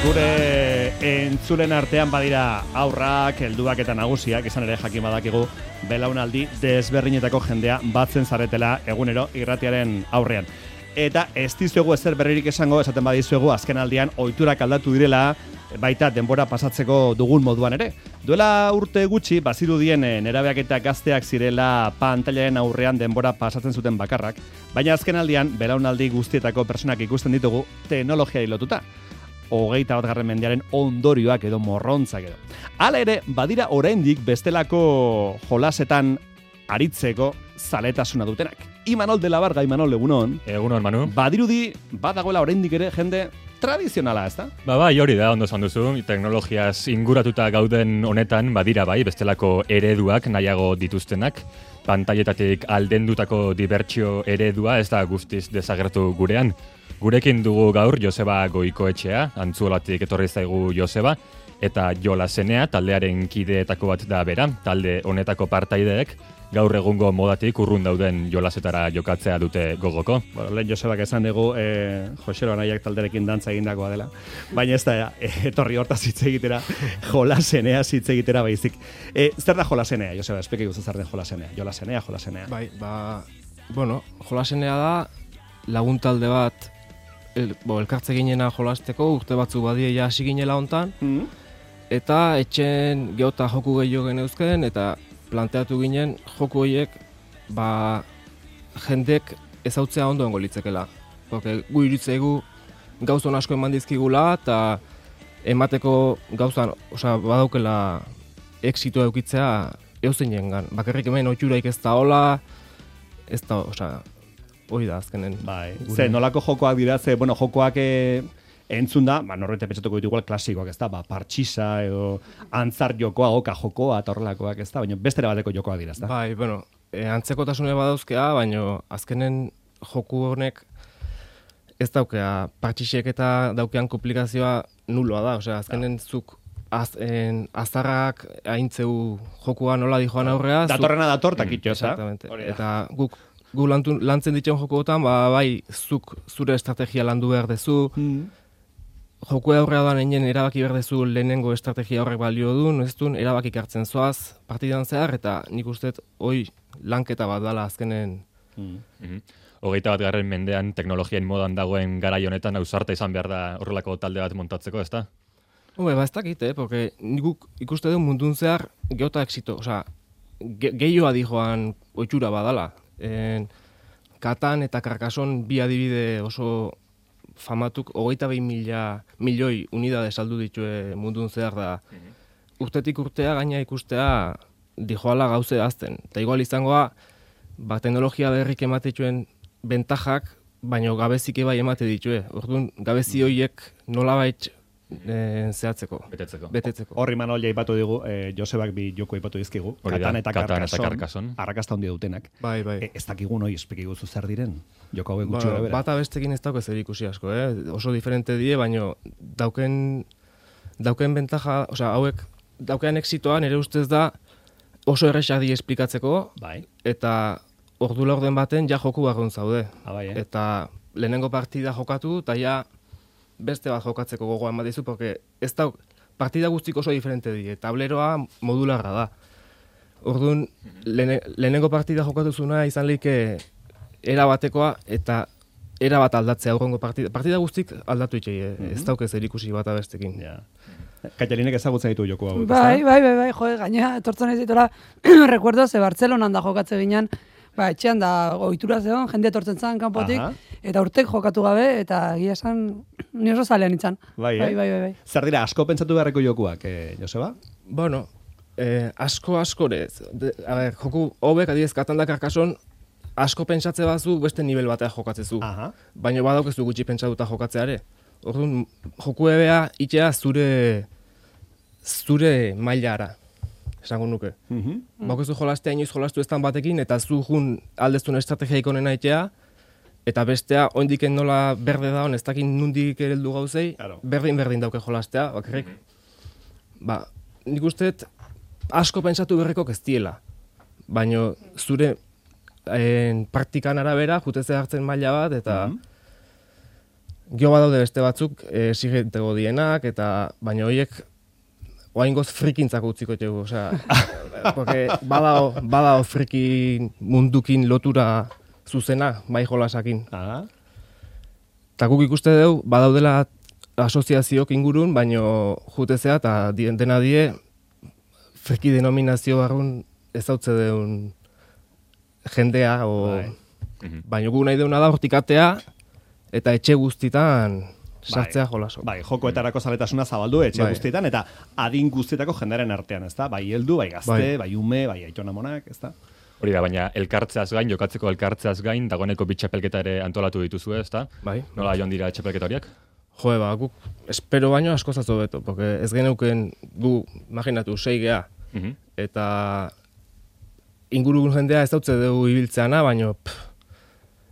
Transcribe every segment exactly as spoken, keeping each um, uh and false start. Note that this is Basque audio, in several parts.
Gure entzulen artean badira aurrak, helduak eta nagusiak, izan ere jakin badakigu belaunaldi desberdinetako jendea batzen zaretela egunero irratiaren aurrean. Eta ez dizuegu ezer berririk esango, esaten badizuegu azken aldian ohiturak aldatu direla, baita denbora pasatzeko dugun moduan ere. Duela urte gutxi, bazirudien nerabeak eta gazteak zirela pantailaren aurrean denbora pasatzen zuten bakarrak, baina azken aldian belaunaldi guztietako personak ikusten ditugu teknologiari lotuta. Hogeita bat garren mendearen ondorioak edo morrontzak edo. Hala ere, badira oraindik bestelako jolasetan aritzeko zaletasuna dutenak. Imanol de la Varga, Imanol, egunon. Egunon, Manu. Badirudi, badagoela oraindik ere jende tradizionala, ezta? Ba, bai, hori da, ondo esan duzu. Teknologiaz inguratuta gauden honetan, badira bai, bestelako ereduak nahiago dituztenak. Pantailetatik aldendutako dibertsio eredua ez da guztiz desagertu gurean. Gurekin dugu gaur Joseba Goikoetxea, Antzuolatik etorri zaigu Joseba, eta Jola Zenea, taldearen kideetako bat da bera, talde honetako partaideek, gaur egungo modatik urrun dauden jolasetara jokatzea dute gogoko. Bueno, lehen Josebak esan dugu, eh, Josero Anaiak talderekin dantza egindakoa dela, baina ez da, eh, etorri hortaz hitz egitera, Jolasenea hitz egitera baizik. Eh, zer da Jolasenea, Joseba, espeke guzu zer den Jolasenea? Jolasenea, Jolasenea. Bai, ba, bueno, Jolasenea da lagun talde bat el, bo, elkartze ginena jolasteko, urte batzu badieia hasi ginela hontan, mm-hmm. eta etxen geota joku gehiago geneuzken, eta planteatu ginen joku horiek ba, jendek ezautzea ondo ongo litzekela. Porque gu iritzegu gauzon asko eman dizkigula eta emateko gauzan, osea, badaukela exitua eukitzea euzenengan. Bakarrik hemen ohituraik ez da hola, ez da, osea, hori da azkenen. Bai, ze nolako jokoak dira, ze, bueno, jokoak e, entzun da, ba, norrete pentsatuko ditu igual klasikoak, ez da, ba, partxisa edo antzar jokoa, oka jokoa, eta horrelakoak, ez da, baina bestera bateko jokoak dira, ez da? Bai, bueno, e, antzekotasune badauzkea, baina azkenen joku honek ez daukea, partxisek eta daukean komplikazioa nuloa da, osea, azkenen da. Zuk az, en, azarrak haintzeu jokua nola dijoan aurrea. Datorrena datortak mm, itxo, ez da? Exactamente, eta guk gu lantu, lantzen ditzen jokoetan, ba, bai, zuk zure estrategia landu behar dezu, mm. joku aurrea doan einen erabaki behar dezu lehenengo estrategia horrek balio duen, ez duen, erabakik hartzen zoaz partidan zehar, eta nik usteet, hoi, lanketa bat dala azkenen. Mm. Mm-hmm. Hogeita bat garren mendean teknologiain modan dagoen garai honetan ausarta izan behar da horrelako talde bat montatzeko, ez da? Hube, ba ez dakit, eh, porque nik ikuste duen mundun zehar geota exito, osea, ge gehioa dijoan oitxura badala. En, Katan eta Karkason bi adibide oso famatuk hogeita behin mila milioi unidade saldu ditue mundun zehar da. Mm-hmm. Urtetik urtea gaina ikustea dijoala gauze azten. Eta igual izangoa, ba, teknologia berrik ematetuen bentajak, baino gabezike bai emate ditue. Orduan, gabezi horiek nolabait E, zehatzeko. Betetzeko. Betetzeko. Horri Manol jaipatu digu, e, Josebak bi joko aipatu dizkigu. Katan eta Karkason. Arrakasta handia dutenak. Bai, bai. E, ez dakigu noi espekiko zu zer diren. Joko hauek gutxi ba, bera. Bata bestekin ez dauke zer ikusi asko, eh? Oso diferente die, baino dauken dauken bentaja, osea, hauek daukean exitoa nire ustez da oso erresak die esplikatzeko. Bai. Eta ordu laurden baten ja joku barrun zaude. Ah, bai, eh? Eta lehenengo partida jokatu, eta ja beste bat jokatzeko gogoa eman dizu, porque ez da, partida guztik oso diferente die, tableroa modularra da. Orduan, lehene, lehenengo partida jokatu zuna izan leike era batekoa, eta era bat aldatzea aurrengo partida. Partida guztik aldatu itxei, eh? Mm-hmm. Ez dauk ez erikusi bat abestekin. Ja. Kaitalinek ezagutzen ditu joko hau. Bai, bai, bai, bai, jode, gaina, etortzen ez ditola, recuerdo, ze Bartzelonan da jokatze ginen, ba, etxean da ohitura zegoen, jende etortzen zan kanpotik, aha. Eta urtek jokatu gabe, eta egia esan, ni oso zalean itzan. Bai, bai, eh? bai, bai, bai. Zer dira, asko pentsatu beharreko jokuak, eh, Joseba? Bueno, eh, asko askorez. De, a ber, joku hobek, adibidez, Katan da Karkason, asko pentsatze bazu beste nivel batea jokatzezu. Aha. Baina badaukezu gutxi pentsatuta jokatzeare. Orduan, joku ebea itxea zure zure mailara, esango nuke. Mm-hmm. Baukezu jolastea inoiz jolastu eztan batekin, eta zu jun aldeztun estrategiaik onena itxea, eta bestea, oindiken nola berde da, ez dakin nundik ereldu gauzei, claro. Berdin-berdin dauke jolastea, bakarrik. Mm-hmm. Ba, nik usteet asko pentsatu berreko ez diela. Baina zure en, praktikan arabera, juteze hartzen maila bat, eta mm-hmm. Gio badaude beste batzuk esigentego dienak, eta baina horiek oaingoz frikintzako utziko txegu, osea, porque badao, badao friki mundukin lotura zuzena, bai jolasakin. Aha. Ta guk ikuste dugu, badaudela asoziazioak ingurun, baino jutezea eta dena die friki denominazio barrun ezautze deun jendea, o, baino gu nahi deuna da hortikatea eta etxe guztitan sartzea jolaso. Bai, jokoetarako zaletasuna zabaldu etxe bai. guztietan eta adin guztietako jendearen artean, ezta? Bai heldu, bai gazte, bai, bai ume, bai aitonamonak, ezta? Hori da, baina elkartzeaz gain, jokatzeko elkartzeaz gain, dagoeneko bi txapelketa ere antolatu dituzue, ezta? Bai. Nola joan dira txapelketa horiek? Jo, ba, guk espero baino asko zazo beto, porque ez geneuken gu, imaginatu, sei gea, uh -huh. eta ingurugun jendea ez dautze dugu ibiltzeana, baino pff,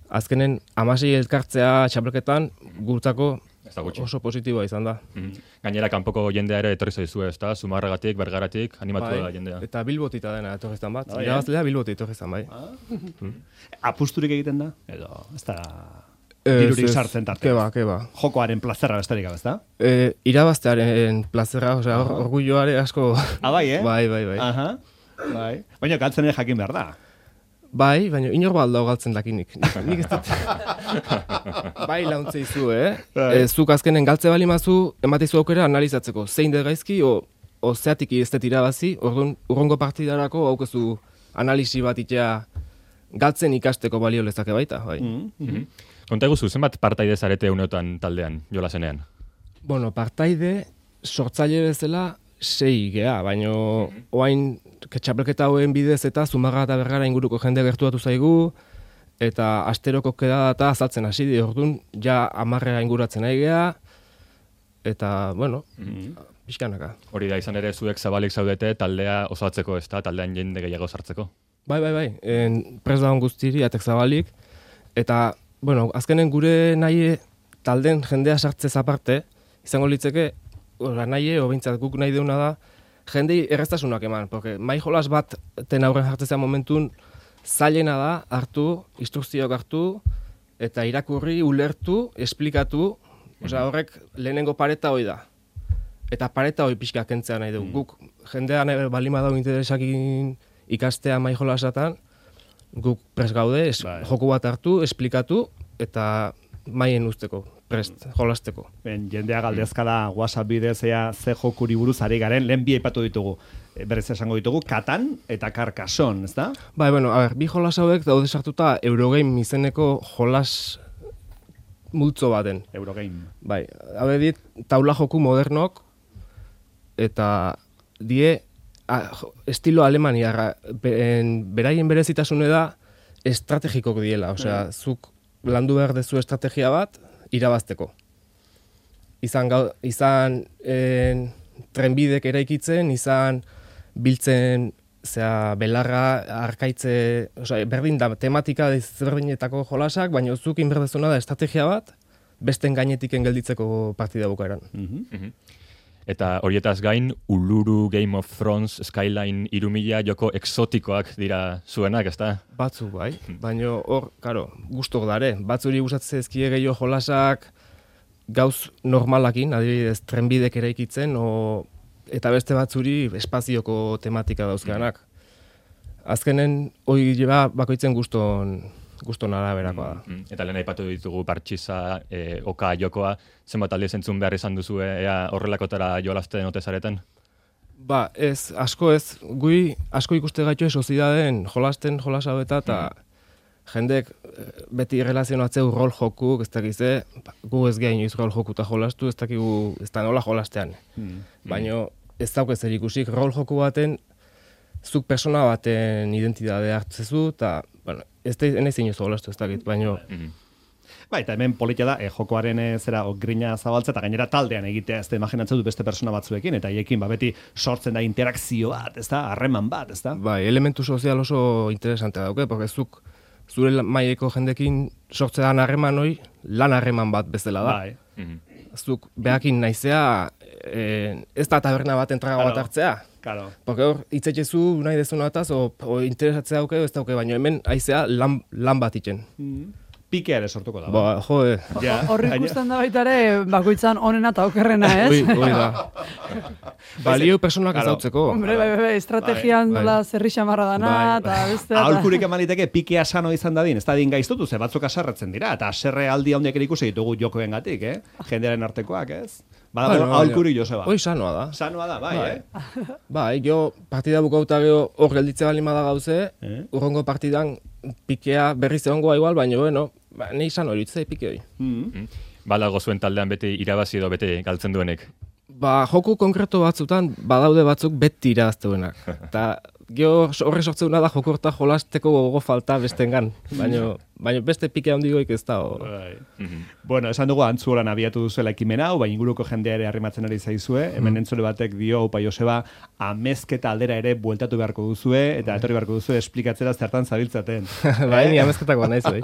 azkenen amasei elkartzea txapelketan gurtzako oso positiboa izan da. Mm -hmm. Gainera, kanpoko jendea ere etorri zaizue, ezta? Zumarragatik, Bergaratik, animatu bai, da jendea. Eta Bilbotita dena etorri zan bat. Oh, irabazlea Bilboti etorri zan, bai. Ah. Mm. Apusturik egiten da? Edo, ez da dirurik sartzen tarte. Keba, keba. Jokoaren plazerra besterik gabe, ezta? E, irabaztearen plazerra, osea, or, orgulloare asko... Ah, bai, eh? Bai, bai, bai. Aha. Bai. Baina galtzen ere jakin behar da. Bai, baina inor balda galtzen dakinik. Nik ez dut. Bai, launtze izu, eh? E, zuk azkenen galtze bali mazu, ematizu aukera analizatzeko. Zein de gaizki, o, o zeatik ez dut irabazi, orduan urrongo partidarako haukezu analisi bat itea galtzen ikasteko balio lezake baita, bai. Mm -hmm. Konta eguzu, zenbat partaide zarete uneotan taldean, jolasenean? Bueno, partaide sortzaile bezala sei gea, baino mm -hmm. oain txapelketa hoen bidez eta Zumarraga eta Bergara inguruko jende gertuatu zaigu, eta asteroko keda eta azaltzen hasi di, orduan ja amarrea inguratzen nahi gea, eta, bueno, mm -hmm. pixkanaka. Hori da, izan ere zuek zabalik zaudete taldea osatzeko, ez da, taldean jende gehiago sartzeko? Bai, bai, bai, en, pres dagoen guztiri, atek zabalik, eta, bueno, azkenen gure nahi talden jendea sartzez aparte, izango litzeke, ora nahi, obintzat guk nahi deuna da, jendei erreztasunak eman, porque mai jolas bat ten aurren jartzea momentun zailena da hartu, instrukzioak hartu, eta irakurri, ulertu, esplikatu, osea horrek lehenengo pareta hoi da. Eta pareta hoi pixka kentzea nahi dugu. Guk jendean balima dago interesakin ikastea mai jolasatan, guk prest gaude, es, joku bat hartu, esplikatu, eta maien usteko, prest, jolasteko. Ben, jendea galdezkada WhatsApp bidez ea ze jokuri buruz ari garen, lehen bi aipatu ditugu, e, berez esango ditugu, Katan eta Carcassonne, ez da? Bai, bueno, a ber, bi jolas hauek daude sartuta Eurogame izeneko jolas multzo baten. Eurogame. Bai, hau dit, taula joku modernok, eta die, a, estilo alemaniarra, beraien berezitasune da, estrategikok diela, osea, zuk landu behar dezu estrategia bat, irabazteko. Izan, gau, izan en, trenbidek eraikitzen, izan biltzen zera, belarra, arkaitze, osea, berdin da, tematika ezberdinetako jolasak, baina zuk inberdezuna da estrategia bat, besten gainetiken gelditzeko partida bukaeran. Mm -hmm. Eta horietaz gain, Uluru, Game of Thrones, Skyline, irumila joko exotikoak dira zuenak, ezta? Batzu, bai. Baina hor, karo, gustok dare. Batzuri gustatzen ezkie gehiago jolasak gauz normalakin, adibidez, trenbidek eraikitzen, o, eta beste batzuri espazioko tematika dauzkanak. Azkenen, hori jeba bakoitzen guston guston araberakoa da. Mm, eta lehen aipatu ditugu partxiza, e, oka jokoa, zenbat aldiz entzun behar izan duzu, ea horrelakotara jolasten ote zareten? Ba, ez, asko ez, gui asko ikuste gaitu sozidaden jolasten jolasa beta, eta mm. jendek beti erlazionatzeu rol joku, ez dakize, gu ez gehin inoiz rol joku eta jolastu, ez dakigu, ez da nola jolastean. Mm. Baina ez dauk ez erikusik, rol joku baten, zuk persona baten identitate hartzezu, eta, bueno, ez da enez inoiz jolastu, ez dakit, baina... Mm. Ba, eta hemen politia da, e, jokoaren e, zera o, grina zabaltza, eta gainera taldean egitea, ez da imaginatzen dut beste persona batzuekin, eta hiekin ba, beti sortzen da interakzio bat, ez da, harreman bat, ez da? Bai, elementu sozial oso interesantea dauke, porque zuk zure maileko jendekin sortzean harreman hoi, lan harreman bat bezala da. Bai. Mm. Zuk behakin naizea, e, ez da taberna bat entraga claro. bat hartzea. Claro. Porque hor, itzetxezu nahi dezuna ataz, o, o interesatzea dauke, ez dauke, baina hemen aizea lan, lan bat itxen. Mm. pikea ere sortuko da. Ba, jo, eh. Horri ikusten da baita ere, bakoitzan onena eta okerrena, ez? Oi, oi da. Balio personak ez dautzeko. Hombre, bai, bai, bai, estrategian dola zerri xamarra dana, eta beste... Aholkurik emaliteke pikea sano izan dadin, ez dadin gaiztutu, ze batzuk aserretzen dira, eta aserre aldi handiak ere ikusi ditugu jokoen gatik, eh? Jendearen artekoak, ez? Bada, bueno, aholkurik Joseba. Hoi sanoa da. Sanoa da, bai, eh? Bai, jo partida bukauta geho hor gelditze bali da gauze, eh? Urrongo partidan pikea berriz egongoa igual, baina, bueno, ba, nahi sano eritzei pike hori. Mm -hmm. Balago zuen taldean bete irabazi edo bete galtzen duenek? Ba, joku konkreto batzutan badaude batzuk beti irabazteunak. Eta gero horre sortzeuna da joku horta jolasteko gogo falta bestengan. Baina baina beste pike handigoik ez da. Right. Mm -hmm. Bueno, esan dugu Antzuolan abiatu duzuela ekimena hau, baina inguruko jendea ere arrimatzen ari zaizue. Mm. Hemen entzule batek dio, upa Joseba, amezketa aldera ere bueltatu beharko duzue, eta etorri beharko duzue esplikatzera zertan zabiltzaten. Bai, ni amezketako naiz, bai.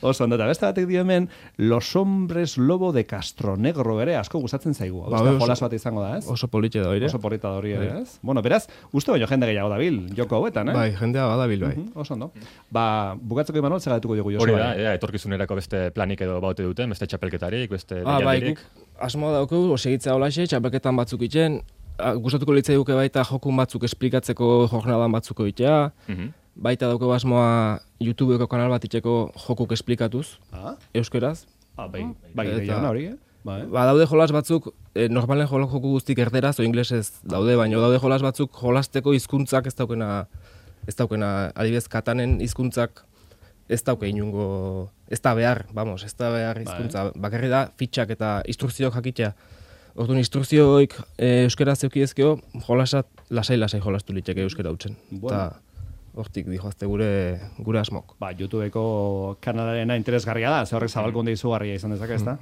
Oso, ondo, eta beste batek dio hemen, Los Hombres Lobo de Castronegro ere asko gustatzen zaigu. Ba, oso, jolas bat izango da, ez? Oso politxe da hori. Oso polita da hori ere, ez? Bueno, beraz, uste baino jende gehiago dabil, joko hauetan, eh? Bai, jendea badabil, bai. Uh -huh, oso, ondo. Ba, bukatzeko Imanol, zeratuko dugu Joseba. Hori da, ea, etorkizunerako beste planik edo baute duten, beste txapelketarik, beste ah, bai, guk asmoa dauku, segitzea holaxe, txapelketan batzuk itzen, gustatuko litzai duke baita joku batzuk esplikatzeko jornadan batzuko itea, uh -huh. baita dauko asmoa YouTubeko kanal bat itxeko jokuk esplikatuz, ah? Euskeraz. Ah, bai, bai, eta, hori, eh? Ba, ba, daude jolas batzuk, eh, normalen joku guztik erderaz, o inglesez daude, baina daude jolas batzuk jolasteko hizkuntzak ez daukena, ez daukena, adibidez, katanen hizkuntzak ez dauke inungo, ez da behar, vamos, ez da behar hizkuntza, bakarri da fitxak eta instrukzioak jakitea. Orduan, instrukzioik e, euskera zeukiezkeo, jolasat lasai-lasai jolastu liteke euskera utzen. Bueno. Hortik dijoazte gure gure asmok. Ba, YouTubeko kanalarena interesgarria da, ze horrek zabalkunde izugarria izan dezake, ezta?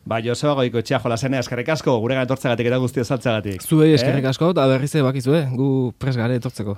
Ba, Joseba Goikoetxea jolasena eskerrik asko, guregan etortzegatik eta guzti azaltzegatik. Zuei eskerrik asko, eta berriz bakizue, gu pres gare etortzeko.